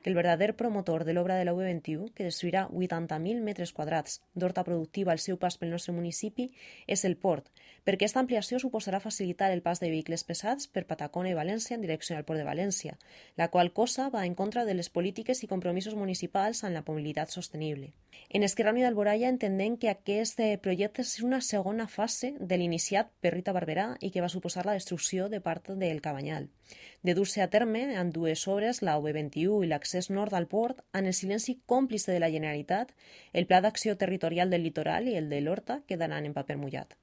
que el verdader promotor de l'obra de la UB21, que destruirà 80.000 metres quadrats d'horta productiva al seu pas pel nostre municipi, és el port, perquè aquesta ampliació suposarà facilitar el pas de vehicles pesats per Patacona i València en direcció al port de València, la qual cosa va en contra de les polítiques i compromisos municipals en la mobilitat sostenible. En Esquerra Unida d'Alboraia entenem que aquest projecte és una segona fase de l'iniciat per Rita Barberà i que va suposar la destrucció de part del Cabanyal. De dur-se a terme en dues obres, la UB21 i l'accés nord al port, en el silenci còmplice de la Generalitat, el Pla d'Acció Territorial del Litoral i el de l'Horta quedaran en paper mullat.